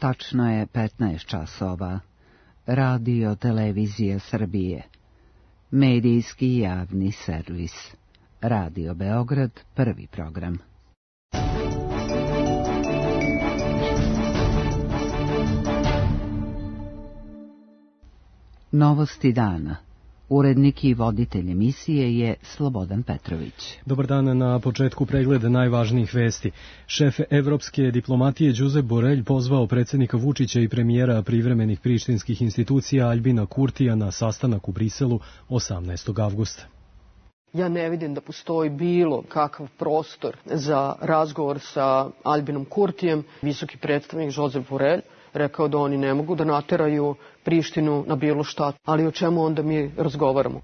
Tačno je 15 časova. Radio Televizija Srbije. Medijski javni servis. Radio Beograd, prvi program. Novosti dana. Urednik i voditelj emisije je Slobodan Petrović. Dobar dan, na početku pregleda najvažnijih vesti. Šef evropske diplomatije Josep Borrell pozvao predsjednika Vučića i premijera privremenih prištinskih institucija Aljbina Kurtija na sastanak u Briselu 18. avgusta. Ja ne vidim da postoji bilo kakav prostor za razgovor sa Aljbinom Kurtijem. Visoki predstavnik Josep Borrell rekao da oni ne mogu da nateraju Prištinu na bilo šta, ali o čemu onda mi razgovaramo?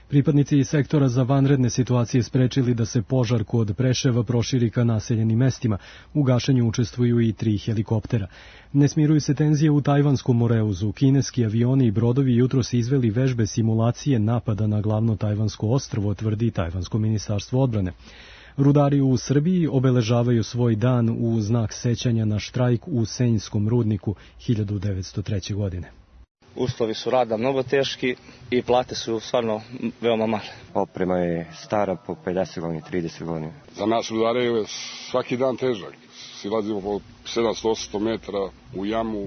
Pripadnici sektora za vanredne situacije sprečili da se požar kod Preševa proširi ka naseljenim mestima. U gašenju učestvuju i 3 helikoptera. Ne smiruju se tenzije u Tajvanskom Moreuzu. Kineski avioni i brodovi jutros izveli vežbe simulacije napada na glavno tajvansko ostrvo, tvrdi Tajvansko ministarstvo odbrane. Rudari u Srbiji obeležavaju svoj dan u znak sećanja na štrajk u Senjskom rudniku 1903. godine. Uslovi su rada mnogo teški i plate su stvarno veoma male. Oprema je stara po 50 godina, 30 godina. Za nas rudare je svaki dan težak. Silazimo po 700-800 metara u jamu.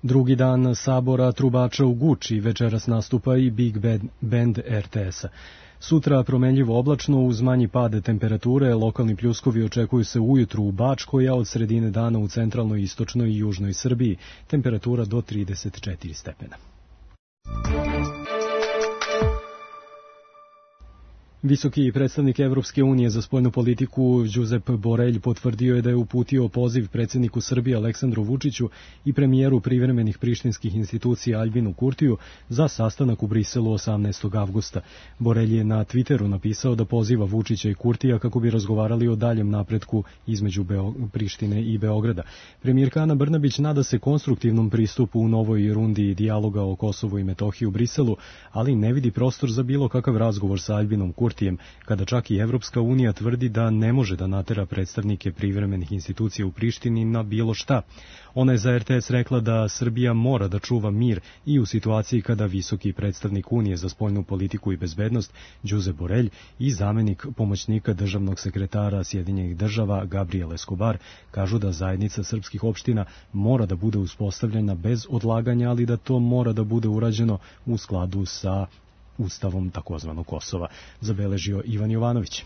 Drugi dan sabora trubača u Guči, večeras nastupa i Big Band RTS-a. Sutra promenljivo oblačno uz manji pad temperature, lokalni pljuskovi očekuju se ujutru u Bačkoj, a od sredine dana u centralnoj, istočnoj i južnoj Srbiji. Temperatura do 34 stepena. Visoki predstavnik Evropske unije za spoljnu politiku Josep Borrell potvrdio je da je uputio poziv predsjedniku Srbije Aleksandru Vučiću i premijeru privremenih prištinskih institucija Aljbinu Kurtiju za sastanak u Briselu 18. avgusta. Borrell je na Twitteru napisao da poziva Vučića i Kurtija kako bi razgovarali o daljem napretku između Prištine i Beograda. Premijerka Ana Brnabić nada se konstruktivnom pristupu u novoj rundi dijaloga o Kosovu i Metohiji u Briselu, ali ne vidi prostor za bilo kakav razgovor sa Aljbinom Kurtijem, kada čak i Evropska unija tvrdi da ne može da natera predstavnike privremenih institucija u Prištini na bilo šta. Ona je za RTS rekla da Srbija mora da čuva mir i u situaciji kada visoki predstavnik Unije za spoljnu politiku i bezbednost Josep Borrell i zamenik pomoćnika državnog sekretara Sjedinjenih država Gabriel Escobar kažu da zajednica srpskih opština mora da bude uspostavljena bez odlaganja, ali da to mora da bude urađeno u skladu sa Ustavom takozvanog Kosova, zabeležio Ivan Jovanović.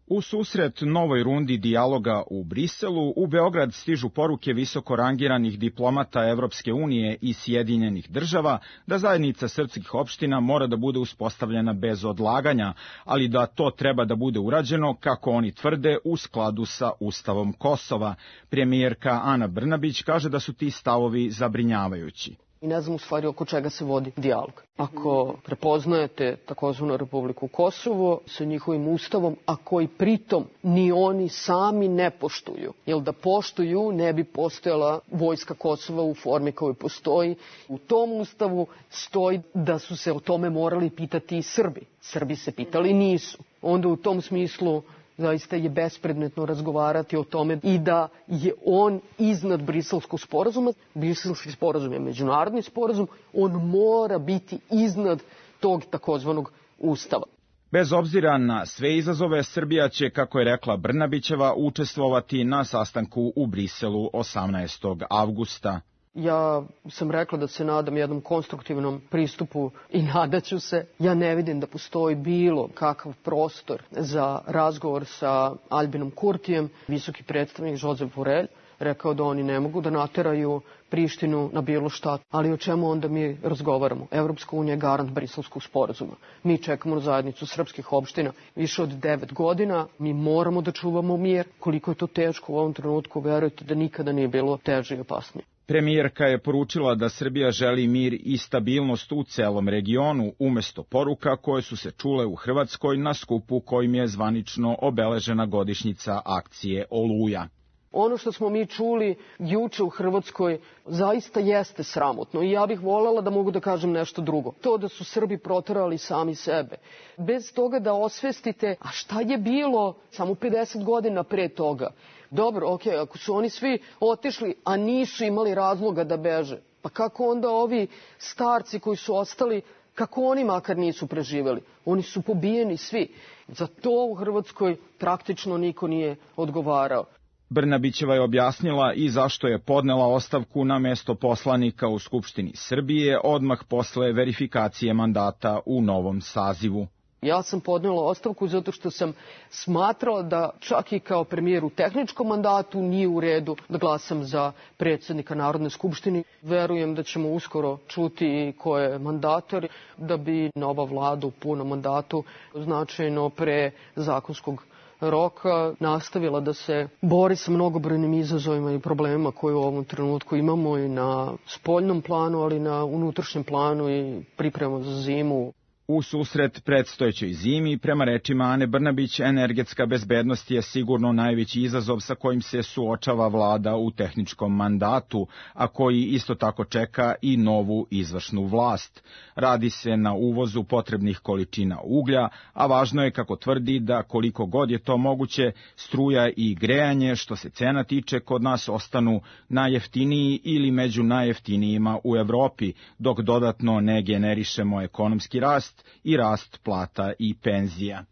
U susret novoj rundi dijaloga u Briselu, u Beograd stižu poruke visoko rangiranih diplomata Evropske unije i Sjedinjenih država da zajednica srpskih opština mora da bude uspostavljena bez odlaganja, ali da to treba da bude urađeno, kako oni tvrde, u skladu sa Ustavom Kosova. Premijerka Ana Brnabić kaže da su ti stavovi zabrinjavajući. I ne znam u stvari oko čega se vodi dijalog. Ako prepoznajete takozvanu Republiku Kosovo sa njihovim ustavom, a koji pritom ni oni sami ne poštuju, jer da poštuju ne bi postojala vojska Kosova u formi koju postoji. U tom ustavu stoji da su se o tome morali pitati i Srbi. Srbi se pitali nisu. Onda u tom smislu zaista je bespredmetno razgovarati o tome i da je on iznad Briselskog sporazuma. Briselski sporazum je međunarodni sporazum, on mora biti iznad tog takozvanog ustava. Bez obzira na sve izazove, Srbija će, kako je rekla Brnabićeva, učestvovati na sastanku u Briselu 18. avgusta. Ja sam rekla da se nadam jednom konstruktivnom pristupu i nadaću se. Ja ne vidim da postoji bilo kakav prostor za razgovor sa Aljbinom Kurtijem. Visoki predstavnik Josep Borrell rekao da oni ne mogu da nateraju Prištinu na bilo šta, ali o čemu onda mi razgovaramo? Evropska unija je garant Briselskog sporazuma. Mi čekamo na zajednicu srpskih opština više od 9 godina. Mi moramo da čuvamo mir. Koliko je to teško u ovom trenutku, verujte da nikada nije bilo teže i opasnije. Premijerka je poručila da Srbija želi mir i stabilnost u celom regionu, umesto poruka koje su se čule u Hrvatskoj na skupu kojim je zvanično obeležena godišnjica akcije Oluja. Ono što smo mi čuli juče u Hrvatskoj zaista jeste sramotno i ja bih voljela da mogu da kažem nešto drugo. To da su Srbi proterali sami sebe. Bez toga da osvestite, a šta je bilo samo 50 godina pre toga? Dobro, ako su oni svi otišli, a nisu imali razloga da beže, pa kako onda ovi starci koji su ostali, kako oni makar nisu preživeli? Oni su pobijeni svi. Za to u Hrvatskoj praktično niko nije odgovarao. Brnabićeva je objasnila i zašto je podnela ostavku na mesto poslanika u Skupštini Srbije odmah posle verifikacije mandata u novom sazivu. Ja sam podnela ostavku zato što sam smatrala da čak i kao premijer u tehničkom mandatu nije u redu da glasam za predsjednika Narodne skupštine. Verujem da ćemo uskoro čuti ko je mandator, da bi nova vlada u punom mandatu značajno pre zakonskog roka nastavila da se bori sa mnogobrojnim izazovima i problemima koje u ovom trenutku imamo i na spoljnom planu, ali i na unutrašnjem planu i pripremamo za zimu. U susret predstojećoj zimi, prema rečima Ane Brnabić, energetska bezbednost je sigurno najveći izazov sa kojim se suočava vlada u tehničkom mandatu, a koji isto tako čeka i novu izvršnu vlast. Radi se na uvozu potrebnih količina uglja, a važno je, kako tvrdi, da koliko god je to moguće, struja i grejanje, što se cena tiče, kod nas ostanu najjeftiniji ili među najjeftinijima u Evropi, dok dodatno ne generišemo ekonomski rast i rast plata i penzija.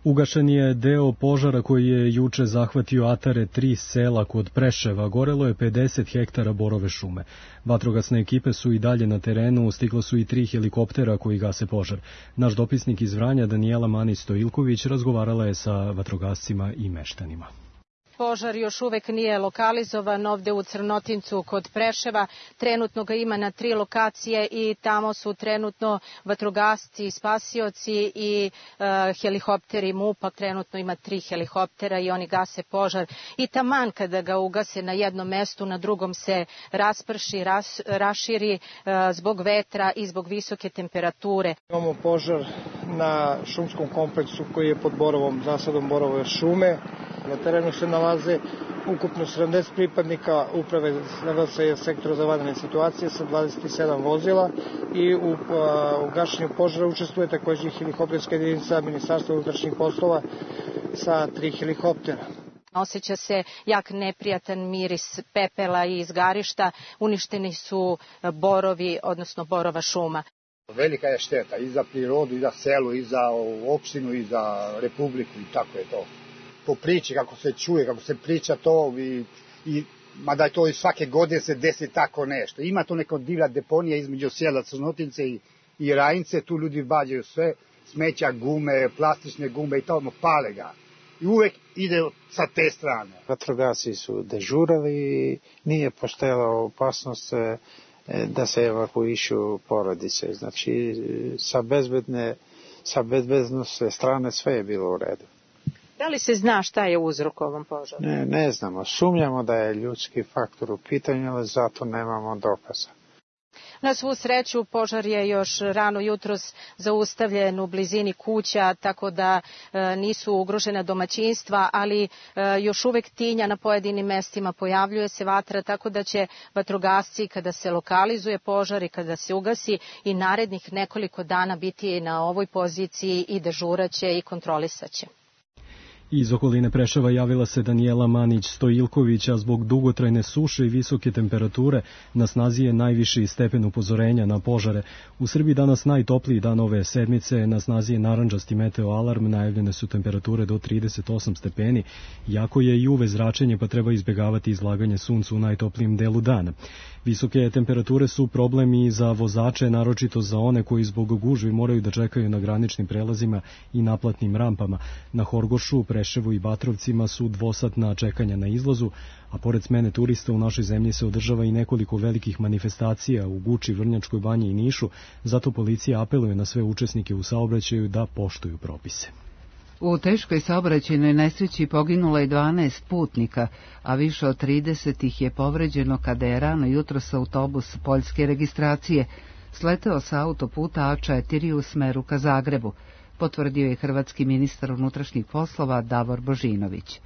Ugašen je deo požara koji je juče zahvatio atare 3 sela kod Preševa. Gorelo je 50 hektara borove šume. Vatrogasne ekipe su i dalje na terenu, stiglo su i 3 helikoptera koji gase požar. Naš dopisnik iz Vranja, Danijela Manić-Stojilković, razgovarala je sa vatrogascima i meštanima. Požar još uvek nije lokalizovan ovde u Crnotincu kod Preševa. Trenutno ga ima na 3 lokacije i tamo su trenutno vatrogasci, spasioci i helikopteri MUP-a. Trenutno ima 3 helikoptera i oni gase požar. I taman kada ga ugase na jednom mestu, na drugom se rasprši, raširi zbog vetra i zbog visoke temperature. Imamo požar na šumskom kompleksu koji je pod borovom, zasadom borove šume. Na terenu se nalaze ukupno 70 pripadnika uprave NVS sektora za vanredne situacije sa 27 vozila i u gašenju požara učestvuje takođe helikopterska jedinica Ministarstva unutrašnjih poslova sa 3 helikoptera. Osjeća se jak neprijatan miris pepela i izgarišta, uništeni su borovi, odnosno borova šuma. Velika je šteta i za prirodu, i za selo, i za opštinu, i za republiku i tako je to. Po priči, kako se čuje, kako se priča to mada je to i svake godine se desi tako nešto. Ima to neka divlja deponija između sela Crnotince i Rajince, tu ljudi vađaju sve, smeća, gume, plastične gume i tamo pale ga. I uvek ide sa te strane. Vatrogasci su dežurali, nije postojala opasnost da se evakuišu porodice. Znači, sa bezbednosne strane sve je bilo u redu. Da li se zna šta je uzrok ovom požaru? Ne znamo. Sumnjamo da je ljudski faktor u pitanju, ali zato nemamo dokaza. Na svu sreću, požar je još rano jutros zaustavljen u blizini kuća, tako da nisu ugrožena domaćinstva, ali još uvek tinja na pojedinim mestima, pojavljuje se vatra, tako da će vatrogasci, kada se lokalizuje požar i kada se ugasi, i narednih nekoliko dana biti na ovoj poziciji i dežuraće i kontrolisaće. Iz okoline Preševa javila se Danijela Manić-Stojilković, a zbog dugotrajne suše i visoke temperature na snazi je najviši stepen upozorenja na požare. U Srbiji danas najtopliji dan ove sedmice, na snazi je narandžasti meteoalarm, najavljene su temperature do 38 stepeni, jako je i UV zračenje, pa treba izbjegavati izlaganje suncu u najtoplijim delu dana. Visoke temperature su problem i za vozače, naročito za one koji zbog gužvi moraju da čekaju na graničnim prelazima i naplatnim rampama. Na Horgošu, Preševu i Batrovcima su dvosatna čekanja na izlazu, a pored smene turista u našoj zemlji se održava i nekoliko velikih manifestacija u Guči, Vrnjačkoj Banji i Nišu, zato policija apeluje na sve učesnike u saobraćaju da poštuju propise. U teškoj saobraćajnoj nesreći poginulo je 12 putnika, a više od 30 ih je povređeno kada je rano jutros autobus poljske registracije sleteo sa autoputa A4 u smeru ka Zagrebu, potvrdio je hrvatski ministar unutrašnjih poslova Davor Božinović.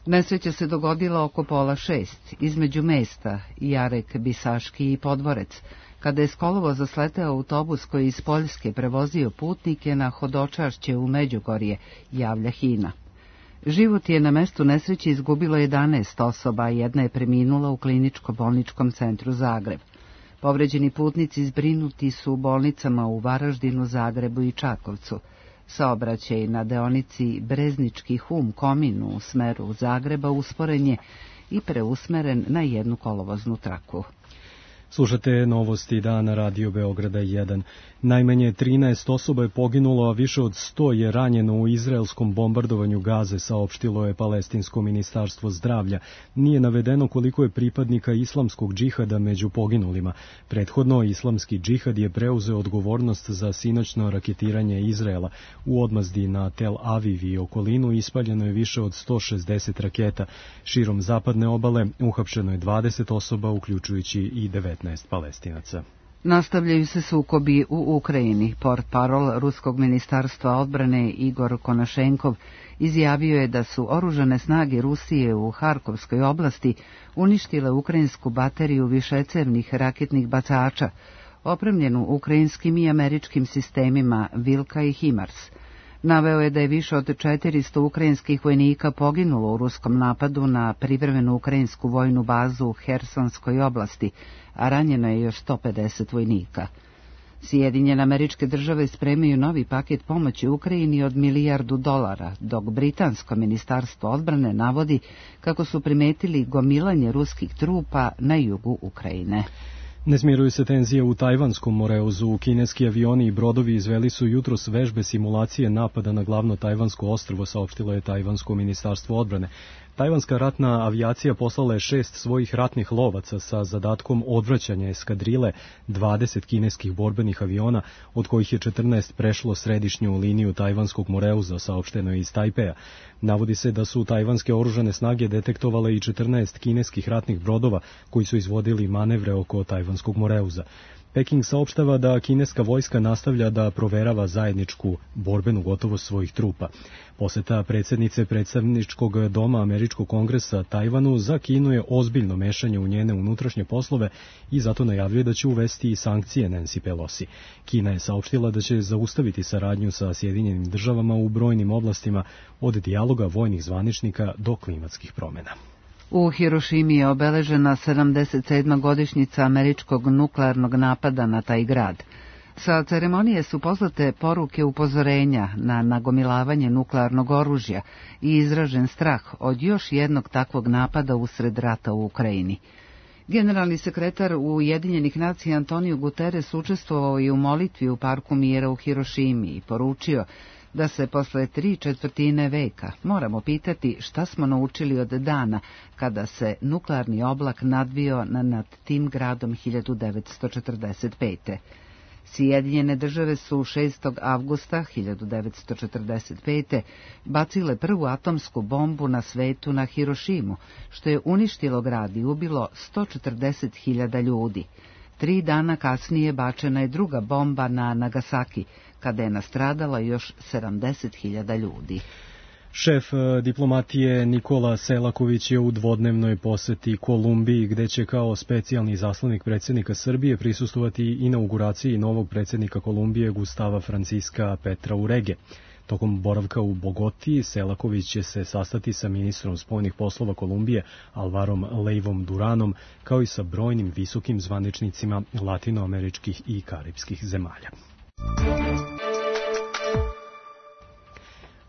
Nesreća se dogodila oko 5:30 između mesta Jarek, Bisaški i Podvorec, kada je s kolovoza sleteo autobus koji iz Poljske prevozio putnike na hodočašće u Međugorje, javlja HINA. Život je na mestu nesreće izgubilo 11 osoba, a jedna je preminula u kliničko-bolničkom centru Zagreb. Povređeni putnici zbrinuti su u bolnicama u Varaždinu, Zagrebu i Čakovcu. Saobraćaj na deonici Breznički Hum-Komin u smeru Zagreba usporen je i preusmeren na jednu kolovoznu traku. Slušate novosti dana Radio Beograda 1. Najmanje 13 osoba je poginulo, a više od 100 je ranjeno u izraelskom bombardovanju Gaze, saopštilo je Palestinsko ministarstvo zdravlja. Nije navedeno koliko je pripadnika islamskog džihada među poginulima. Prethodno, islamski džihad je preuzeo odgovornost za sinoćno raketiranje Izraela. U odmazdi na Tel Aviv i okolinu ispaljeno je više od 160 raketa. Širom zapadne obale uhapšeno je 20 osoba, uključujući i 19 Palestinaca. Nastavljaju se sukobi u Ukrajini. Portparol Ruskog ministarstva odbrane Igor Konašenkov izjavio je da su oružane snage Rusije u Harkovskoj oblasti uništile ukrajinsku bateriju višecevnih raketnih bacača, opremljenu ukrajinskim i američkim sistemima Vilka i HIMARS. Naveo je da je više od 400 ukrajinskih vojnika poginulo u ruskom napadu na privremenu ukrajinsku vojnu bazu u Hersonskoj oblasti, a ranjeno je još 150 vojnika. Sjedinjene Američke Države spremaju novi paket pomoći Ukrajini od $1 milijardu, dok Britansko ministarstvo odbrane navodi kako su primetili gomilanje ruskih trupa na jugu Ukrajine. Ne smiruju se tenzije u Tajvanskom moreuzu. Kineski avioni i brodovi izveli su jutros vežbe simulacije napada na glavno tajvansko ostrvo, saopštilo je Tajvansko ministarstvo odbrane. Tajvanska ratna avijacija poslala je 6 svojih ratnih lovaca sa zadatkom odvraćanja eskadrile 20 kineskih borbenih aviona, od kojih je 14 prešlo središnju liniju Tajvanskog moreuza, saopšteno je iz Tajpeja. Navodi se da su tajvanske oružane snage detektovale i 14 kineskih ratnih brodova koji su izvodili manevre oko Tajvanskog moreuza. Peking saopštava da kineska vojska nastavlja da proverava zajedničku borbenu gotovost svojih trupa. Poseta predsjednice predstavničkog doma Američkog kongresa Tajvanu za Kinu je ozbiljno mešanje u njene unutrašnje poslove i zato najavljuje da će uvesti i sankcije Nancy Pelosi. Kina je saopštila da će zaustaviti saradnju sa Sjedinjenim Državama u brojnim oblastima, od dijaloga vojnih zvaničnika do klimatskih promjena. U Hirošimi je obeležena 77. godišnjica američkog nuklearnog napada na taj grad. Sa ceremonije su poslate poruke upozorenja na nagomilavanje nuklearnog oružja i izražen strah od još jednog takvog napada usred rata u Ukrajini. Generalni sekretar Ujedinjenih nacija Antonio Guterres učestvovao i u molitvi u Parku mira u Hirošimi i poručio da se posle 3/4 veka moramo pitati šta smo naučili od dana kada se nuklearni oblak nadvio nad tim gradom 1945. Sjedinjene Države su 6. avgusta 1945. bacile prvu atomsku bombu na svetu na Hirošimu, što je uništilo grad i ubilo 140.000 ljudi. 3 dana kasnije bačena je druga bomba na Nagasaki, kada je nastradala još 70.000 ljudi. Šef diplomatije Nikola Selaković je u dvodnevnoj poseti Kolumbiji, gde će kao specijalni izaslanik predsjednika Srbije prisustvovati inauguraciji novog predsjednika Kolumbije Gustava Franciska Petra Urege. Tokom boravka u Bogoti, Selaković će se sastati sa ministrom spoljnih poslova Kolumbije Alvarom Leivom Duranom, kao i sa brojnim visokim zvaničnicima latinoameričkih i karipskih zemalja.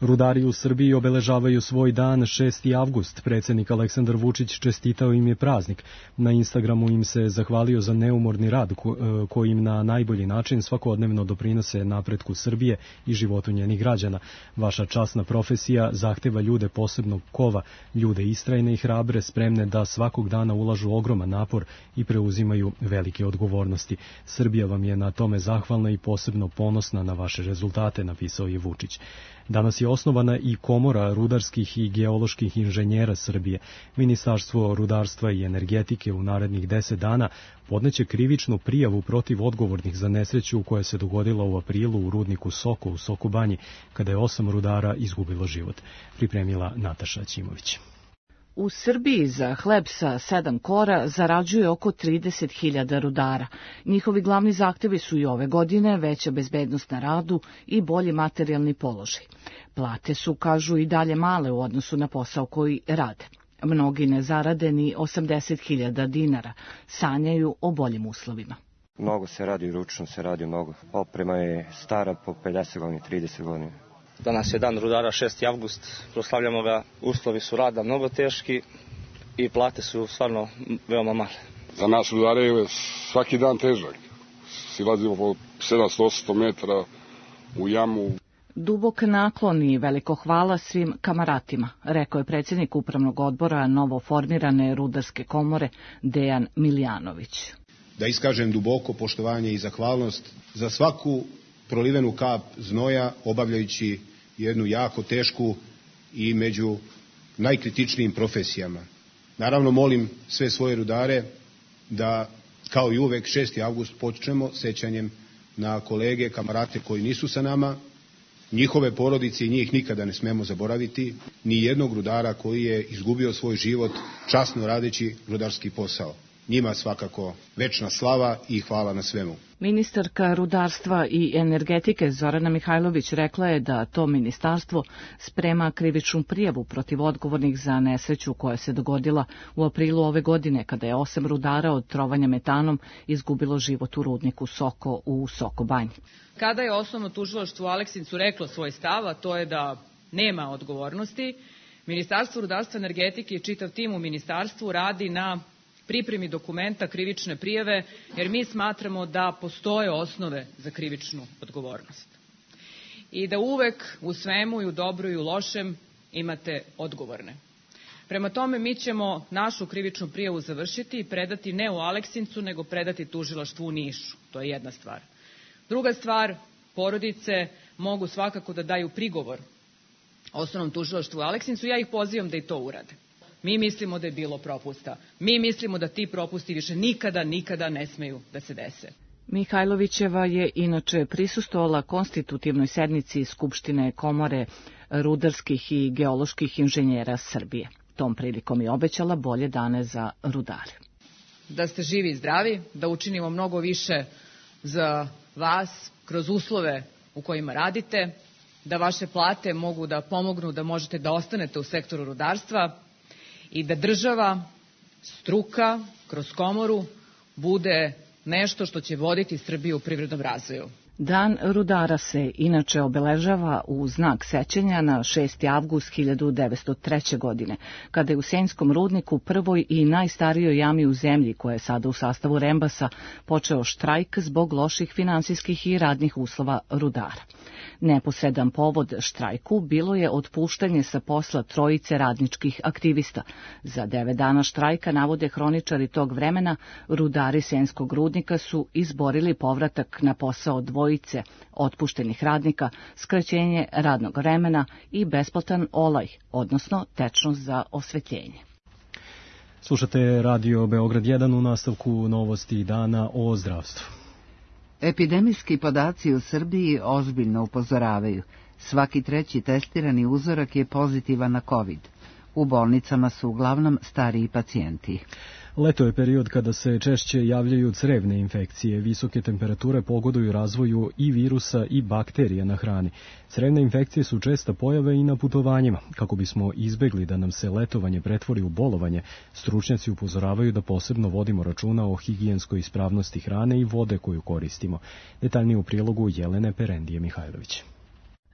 Rudari u Srbiji obeležavaju svoj dan 6. avgust. Predsjednik Aleksandar Vučić čestitao im je praznik. Na Instagramu im se zahvalio za neumorni rad kojim na najbolji način svakodnevno doprinose napretku Srbije i životu njenih građana. Vaša časna profesija zahteva ljude posebnog kova, ljude istrajne i hrabre, spremne da svakog dana ulažu ogroman napor i preuzimaju velike odgovornosti. Srbija vam je na tome zahvalna i posebno ponosna na vaše rezultate, napisao je Vučić. Danas je osnovana i Komora rudarskih i geoloških inženjera Srbije. Ministarstvo rudarstva i energetike u narednih 10 dana podneće krivičnu prijavu protiv odgovornih za nesreću koja se dogodila u aprilu u rudniku Soko u Sokobanji, kada je 8 rudara izgubilo život. Pripremila Nataša Ćimović. U Srbiji za hleb sa 7 kora zarađuje oko 30.000 rudara. Njihovi glavni zahtevi su i ove godine veća bezbednost na radu i bolji materijalni položaj. Plate su, kažu, i dalje male u odnosu na posao koji rade. Mnogi ne zarade ni 80.000 dinara, sanjaju o boljim uslovima. Mnogo se radi, ručno se radi mnogo. Oprema je stara po 50 godina, 30 godina. Danas je dan rudara, 6. avgust, proslavljamo ga, uslovi su rada mnogo teški i plate su stvarno veoma male. Za nas rudare je svaki dan težak. Silazimo po 700-800 metara u jamu. Dubok naklon i veliko hvala svim kamaratima, rekao je predsjednik upravnog odbora novoformirane rudarske komore Dejan Miljanović. Da iskažem duboko poštovanje i zahvalnost za svaku prolivenu kap znoja, obavljajući jednu jako tešku i među najkritičnijim profesijama. Naravno, molim sve svoje rudare da, kao i uvek, 6. avgust počnemo sećanjem na kolege, kamarate koji nisu sa nama, njihove porodice i njih nikada ne smemo zaboraviti, ni jednog rudara koji je izgubio svoj život časno radeći rudarski posao. Njima svakako večna slava i hvala na svemu. Ministarka rudarstva i energetike Zorana Mihajlović rekla je da to ministarstvo sprema krivičnu prijavu protiv odgovornih za nesreću koja se dogodila u aprilu ove godine, kada je 8 rudara od trovanja metanom izgubilo život u rudniku Soko u Soko Banji. Kada je osnovno tužilaštvo u Aleksincu reklo svoj stav, a to je da nema odgovornosti, Ministarstvo rudarstva i energetike i čitav tim u ministarstvu radi na pripremi dokumenta krivične prijave, jer mi smatramo da postoje osnove za krivičnu odgovornost. I da uvek u svemu, i u dobru i u lošem, imate odgovorne. Prema tome, mi ćemo našu krivičnu prijavu završiti i predati ne u Aleksincu, nego predati tužilaštvu u Nišu. To je jedna stvar. Druga stvar, porodice mogu svakako da daju prigovor osnovnom tužilaštvu u Aleksincu. Ja ih pozivam da i to urade. Mi mislimo da je bilo propusta. Mi mislimo da ti propusti više nikada ne smeju da se dese. Mihajlovićeva je inače prisustvovala konstitutivnoj sednici Skupštine Komore rudarskih i geoloških inženjera Srbije. Tom prilikom je obećala bolje dane za rudare. Da ste živi i zdravi, da učinimo mnogo više za vas kroz uslove u kojima radite, da vaše plate mogu da pomognu da možete da ostanete u sektoru rudarstva i da država, struka, kroz komoru bude nešto što će voditi Srbiju u privrednom razvoju. Dan rudara se inače obeležava u znak sećanja na 6. avgust 1903. godine, kada je u Senjskom rudniku, prvoj i najstarijoj jami u zemlji, koja je sada u sastavu Rembasa, počeo štrajk zbog loših finansijskih i radnih uslova rudara. Neposredan povod štrajku bilo je otpuštanje sa posla trojice radničkih aktivista. Za 9 dana štrajka, navode hroničari tog vremena, rudari Senjskog rudnika su izborili povratak na posao dvojice otpuštenih radnika, skraćenje radnog vremena i besplatan olaj, odnosno tečnost za osvetljenje. Slušate Radio Beograd 1 u nastavku novosti dana o zdravstvu. Epidemijski podaci u Srbiji ozbiljno upozoravaju. Svaki 3. testirani uzorak je pozitivan na COVID. U bolnicama su uglavnom stariji pacijenti. Leto je period kada se češće javljaju crevne infekcije. Visoke temperature pogoduju razvoju i virusa i bakterija na hrani. Crevne infekcije su česta pojave i na putovanjima. Kako bismo izbegli da nam se letovanje pretvori u bolovanje, stručnjaci upozoravaju da posebno vodimo računa o higijenskoj ispravnosti hrane i vode koju koristimo. Detaljnije u prilogu Jelene Perendije Mihajlović.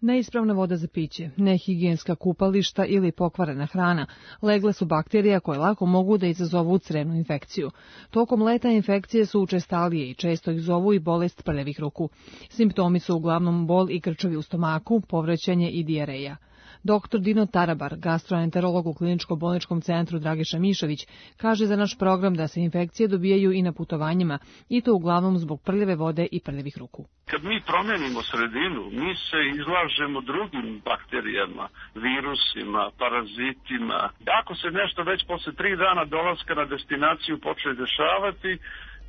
Neispravna voda za piće, nehigijenska kupališta ili pokvarena hrana legle su bakterija koje lako mogu da izazovu crevnu infekciju. Tokom leta infekcije su učestalije i često ih zovu i bolest prljavih ruku. Simptomi su uglavnom bol i krčevi u stomaku, povraćanje i dijareja. Dr. Dino Tarabar, gastroenterolog u Kliničko-bolničkom centru Dragiša Mišović, kaže za naš program da se infekcije dobijaju i na putovanjima, i to uglavnom zbog prljave vode i prljavih ruku. Kad mi promenimo sredinu, mi se izlažemo drugim bakterijama, virusima, parazitima. Ako se nešto već posle 3 dana dolaska na destinaciju počne dešavati,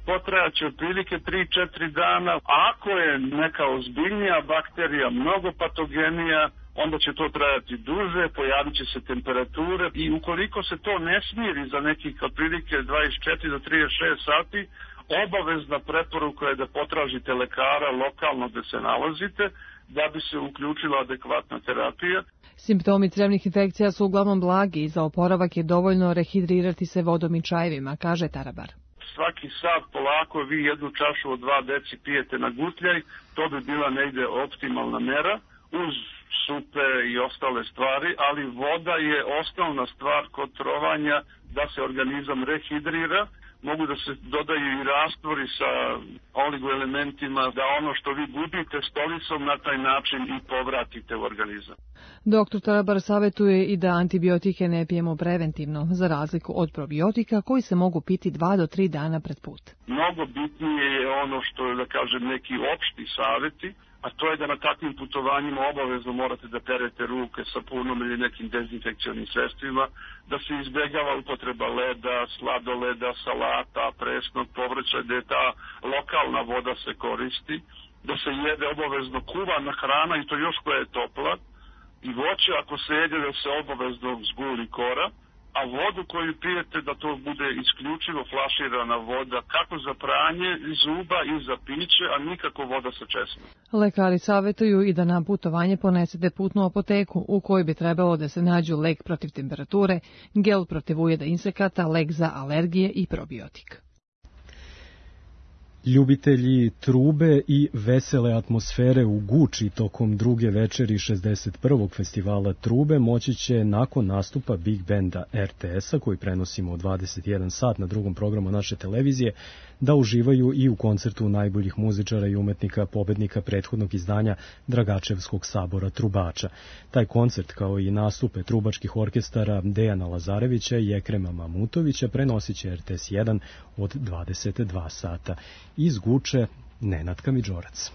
potrajaće otprilike 3-4 dana. A ako je neka ozbiljnija bakterija, mnogo patogenija, onda će to trajati duže, pojavit će se temperature i ukoliko se to ne smiri za nekih otprilike 24 do 36 sati, obavezna preporuka je da potražite lekara lokalno gde se nalazite, da bi se uključila adekvatna terapija. Simptomi crevnih infekcija su uglavnom blagi i za oporavak je dovoljno rehidrirati se vodom i čajevima, kaže Tarabar. Svaki sat polako vi jednu čašu od 2 deci pijete na gutljaj, to bi bila negde optimalna mera, uz supe i ostale stvari, ali voda je osnovna stvar kod trovanja da se organizam rehidrira. Mogu da se dodaju i rastvori sa oligoelementima, da ono što vi gubite stolicom na taj način i povratite u organizam. Dr. Tarabar savjetuje i da antibiotike ne pijemo preventivno, za razliku od probiotika koji se mogu piti 2 do 3 dana pred put. Mnogo bitnije je ono što je, da kažem, neki opšti savjeti, a to je da na takvim putovanjima obavezno morate da perete ruke sapunom ili nekim dezinfekcionim sredstvima, da se izbjegava upotreba leda, sladoleda, salata, presnog povrća, da je ta lokalna voda se koristi, da se jede obavezno kuvana hrana i to još koja je topla, i voće ako se jede da se obavezno zguli kora, a vodu koju pijete da to bude isključivo flaširana voda kako za pranje zuba i za piće, a nikako voda sa česmom. Lekari savjetuju i da na putovanje ponesete putnu apoteku u kojoj bi trebalo da se nađu lek protiv temperature, gel protiv ujeda insekata, lek za alergije i probiotik. Ljubitelji trube i vesele atmosfere u Guči tokom druge večeri 61. festivala trube moći će nakon nastupa Big Banda RTS-a, koji prenosimo u 21 sat na drugom programu naše televizije, da uživaju i u koncertu najboljih muzičara i umetnika pobednika prethodnog izdanja Dragačevskog sabora trubača. Taj koncert, kao i nastupe trubačkih orkestara Dejana Lazarevića i Ekrema Mamutovića, prenosit će RTS 1 od 22 sata. Iz Guče, Nenad Kamidžorac.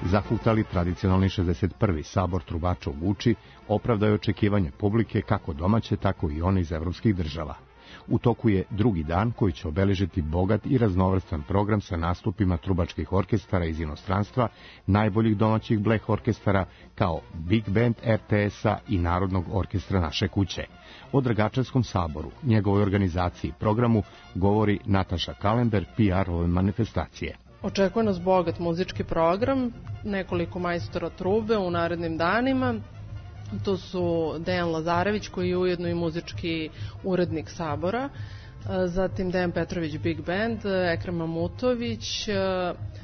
Zahutali tradicionalni 61. sabor trubača u Guči opravdao je očekivanje publike kako domaće, tako i one iz evropskih država. U toku je drugi dan koji će obeležiti bogat i raznovrstan program sa nastupima trubačkih orkestara iz inostranstva, najboljih domaćih bleh orkestara kao Big Band RTS-a i Narodnog orkestra naše kuće. O Dragačevskom saboru, njegovoj organizaciji i programu govori Nataša Kalember, PR ove manifestacije. Očekuje nas bogat muzički program, nekoliko majstora trube u narednim danima. To su Dejan Lazarević, koji je ujedno i muzički urednik sabora, zatim Dejan Petrović Big Band, Ekrem Mamutović,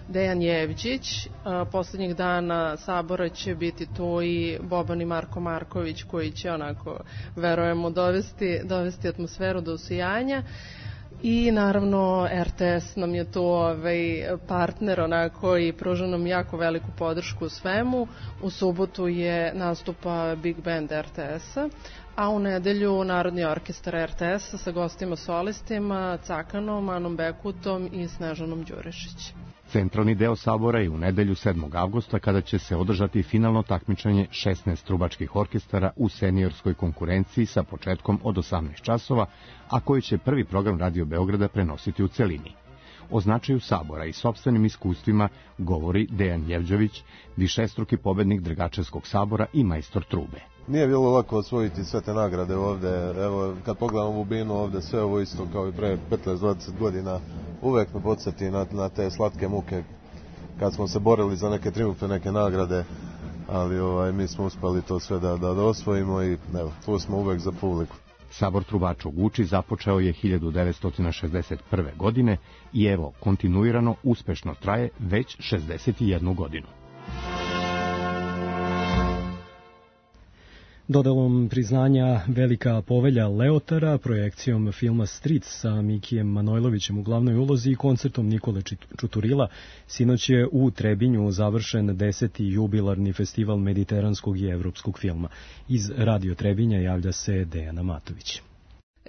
Dejan Jevđić. Poslednjih dana sabora će biti tu i Boban i Marko Marković, koji će onako, verujemo, dovesti atmosferu do usijanja. I naravno RTS nam je tu partner onako i pruža nam jako veliku podršku u svemu. U subotu je nastupa Big Band RTS-a, a u nedelju Narodni orkestar RTS-a sa gostima solistima Cakanom, Anom Bekutom i Snežanom Đurišić. Centralni deo sabora je u nedelju 7. avgusta kada će se održati finalno takmičenje 16 trubačkih orkestara u seniorskoj konkurenciji sa početkom od 18 časova, a koji će prvi program Radio Beograda prenositi u celini. O značaju sabora i sopstvenim iskustvima govori Dejan Jevđović, višestruki pobednik Dragačevskog sabora i majstor trube. Nije bilo lako osvojiti sve te nagrade ovde, evo kad pogledam ovu binu ovde, sve ovo isto kao i pre 15-20 godina, uvek me podsjeti na te slatke muke kad smo se borili za neke triumfe, neke nagrade, ali mi smo uspeli to sve da osvojimo i evo, tu smo uvek za publiku. Sabor trubača u Guči započeo je 1961. godine i evo, kontinuirano uspešno traje već 61 godinu. Dodelom priznanja Velika povelja Leotara, projekcijom filma Stric sa Mikijem Manojlovićem u glavnoj ulozi i koncertom Nikole Čuturila, sinoć je u Trebinju završen 10. jubilarni festival mediteranskog i evropskog filma. Iz Radio Trebinja javlja se Dejana Matović.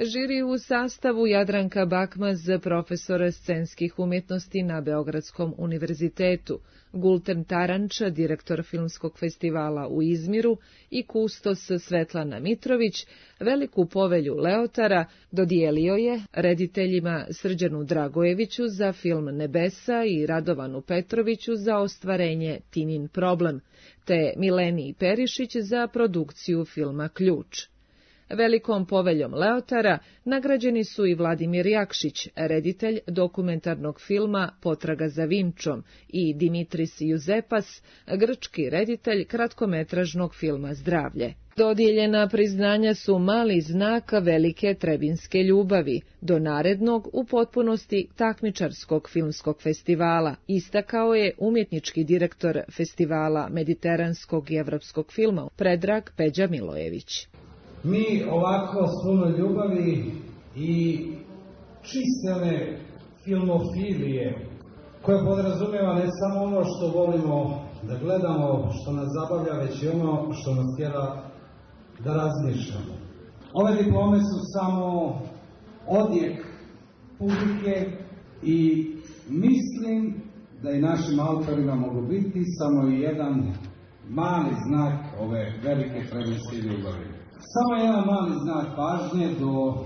Žiri u sastavu Jadranka Bakmaz, profesora scenskih umjetnosti na Beogradskom univerzitetu, Gulten Taranča, direktor filmskog festivala u Izmiru i kustos Svetlana Mitrović, veliku povelju Leotara dodijelio je rediteljima Srđanu Dragojeviću za film Nebesa i Radovanu Petroviću za ostvarenje Tinin problem, te Mileniji Perišić za produkciju filma Ključ. Velikom poveljom Leotara nagrađeni su i Vladimir Jakšić, reditelj dokumentarnog filma Potraga za Vinčom, i Dimitris Juzepas, grčki reditelj kratkometražnog filma Zdravlje. Dodijeljena priznanja su mali znak velike trebinske ljubavi do narednog u potpunosti takmičarskog filmskog festivala, istakao je umjetnički direktor festivala mediteranskog i evropskog filma Predrag Peđa Milojević. Mi ovako s puno ljubavi i čistene filmofilije, koja podrazumijeva ne samo ono što volimo da gledamo, što nas zabavlja, već i ono što nas tjera da razmišljamo. Ove diplome su samo odjek publike i mislim da i našim autorima mogu biti samo jedan mali znak ove velike trebinske ljubavi. Samo jedan mali znak pažnje do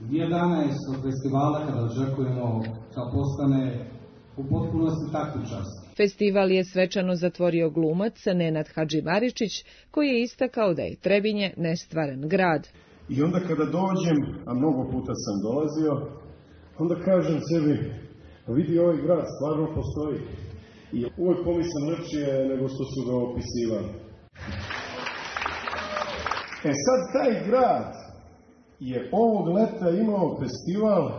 11. festivala kada očekujemo da postane u potpunosti takmičarski. Festival je svečano zatvorio glumac Nenad Hadžimaričić, koji je istakao da je Trebinje nestvaran grad. I onda kada dođem, a mnogo puta sam dolazio, onda kažem sebi, vidi, ovaj grad stvarno postoji. I uvek pomisam lepše nego što su ga opisivali. E sad, taj grad je ovog leta imao festival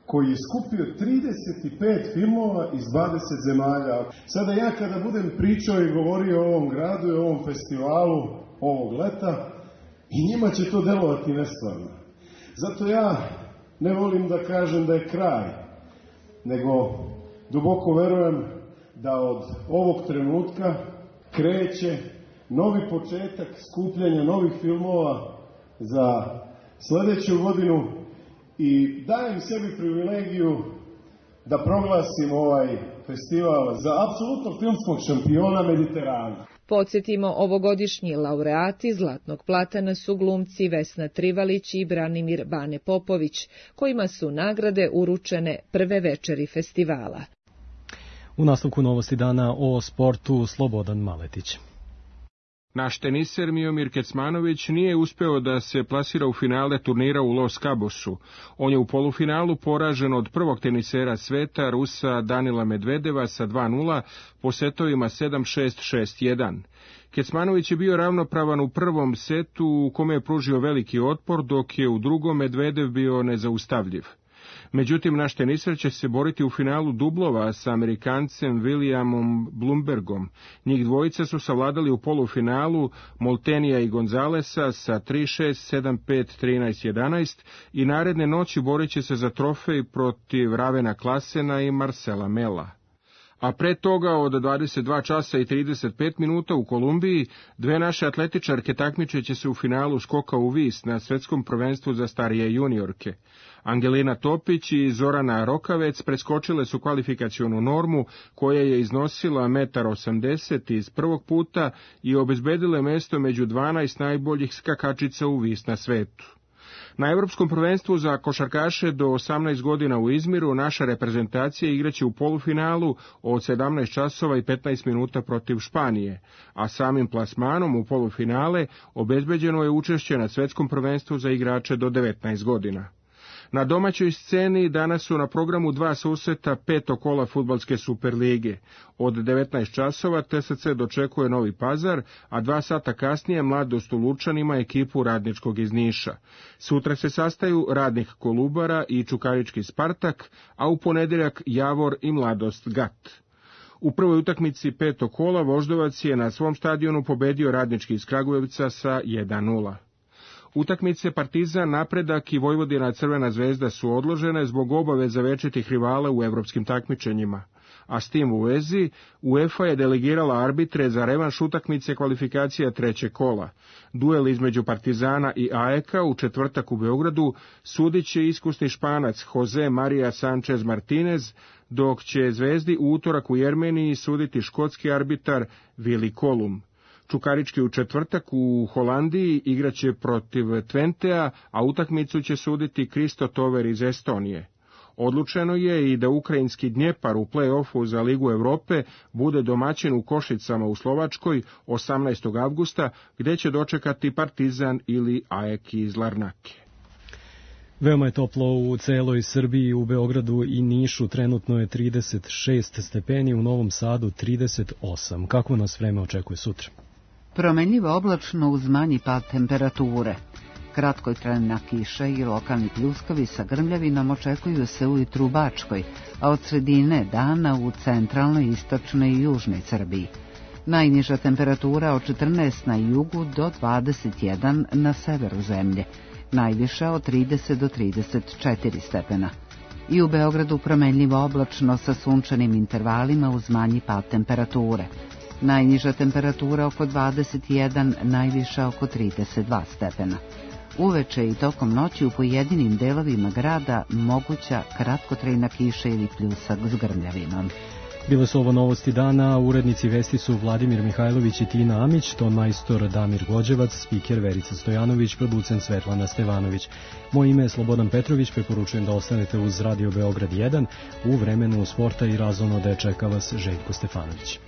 koji je skupio 35 filmova iz 20 zemalja. Sada ja kada budem pričao i govorio o ovom gradu i o ovom festivalu ovog leta, i njima će to delovati nestvarno. Zato ja ne volim da kažem da je kraj, nego duboko verujem da od ovog trenutka kreće novi početak skupljanja novih filmova za sledeću godinu i dajem sebi privilegiju da proglasim ovaj festival za apsolutnog filmskog šampiona Mediterana. Podsjetimo, ovogodišnji laureati Zlatnog platana su glumci Vesna Trivalić i Branimir Bane Popović, kojima su nagrade uručene prve večeri festivala. U nastavku novosti dana o sportu Slobodan Maletić. Naš teniser Miomir Kecmanović nije uspeo da se plasira u finale turnira u Los Cabosu. On je u polufinalu poražen od prvog tenisera sveta, Rusa Danila Medvedeva sa 2:0 po setovima 7-6, 6-1. Kecmanović je bio ravnopravan u prvom setu u kome je pružio veliki otpor, dok je u drugom Medvedev bio nezaustavljiv. Međutim, naš teniser će se boriti u finalu dublova sa Amerikancem Williamom Blumbergom. Njih dvojica su savladali u polufinalu Moltenija i Gonzalesa sa 3-6, 7-5, 13-11 i naredne noći borit će se za trofej protiv Ravena Klasena i Marcela Mela. A pre toga od 22 časa i 35 minuta u Kolumbiji dve naše atletičarke takmičeće se u finalu skoka u vis na svetskom prvenstvu za starije juniorke. Angelina Topić i Zorana Rokavec preskočile su kvalifikacionu normu koja je iznosila 1,80 m iz prvog puta i obezbedile mesto među 12 najboljih skakačica u vis na svetu. Na Evropskom prvenstvu za košarkaše do 18 godina u Izmiru naša reprezentacija igraće u polufinalu od 17 časova i 15 minuta protiv Španije, a samim plasmanom u polufinale obezbeđeno je učešće na Svetskom prvenstvu za igrače do 19 godina. Na domaćoj sceni danas su na programu dva susreta petog kola fudbalske Superlige. Od 19 časova TSC dočekuje Novi Pazar, a 2 sata kasnije Mladost u Lučanima ekipu Radničkog iz Niša. Sutra se sastaju Radnik Kolubara i Čukarički Spartak, a u ponedjeljak Javor i Mladost Gat. U prvoj utakmici petog kola Voždovac je na svom stadionu pobedio Radnički iz Kragujevca sa 1:0. Utakmice Partizan, Napredak i Vojvodina Crvena zvezda su odložene zbog obaveza večitih rivala u evropskim takmičenjima. a s tim u vezi UEFA je delegirala arbitre za revanš utakmice kvalifikacija trećeg kola. Duel između Partizana i AEK-a u četvrtak u Beogradu sudit će iskusni Španac Jose Maria Sanchez Martinez, dok će Zvezdi u utorak u Jermeniji suditi škotski arbitar Willi Kolum. Čukarički u četvrtak u Holandiji igraće protiv Twentea, a utakmicu će suditi Kristo Tover iz Estonije. Odlučeno je i da ukrajinski Dnjepar u play-offu za Ligu Evrope bude domaćin u Košicama u Slovačkoj 18. avgusta, gde će dočekati Partizan ili AEK iz Larnake. Veoma je toplo u celoj Srbiji, u Beogradu i Nišu trenutno je 36 stepeni, u Novom Sadu 38. Kako nas vreme očekuje sutra? Promenljivo oblačno uz manji pad temperature. Kratkotrajna kiša i lokalni pljuskovi sa grmljavinom očekuju se ujutru u Bačkoj, a od sredine dana u centralnoj, istočnoj i južnoj Srbiji. Najniža temperatura od 14 na jugu do 21 na severu zemlje, najviša od 30 do 34 stepena. I u Beogradu promenljivo oblačno sa sunčanim intervalima uz manji pad temperature. Najniža temperatura oko 21, najviša oko 32 stepena. Uveče i tokom noći u pojedinim delovima grada moguća kratkotrajna kiša ili pljusak s grmljavinom. Bile su ovo novosti dana, urednici vesti su Vladimir Mihajlović i Tina Amić, ton majstor Damir Gođevac, spiker Verica Stojanović, producent Svetlana Stevanović. Moje ime je Slobodan Petrović, preporučujem da ostanete uz Radio Beograd 1, u vremenu sporta i razonode čeka vas Željko Stefanović.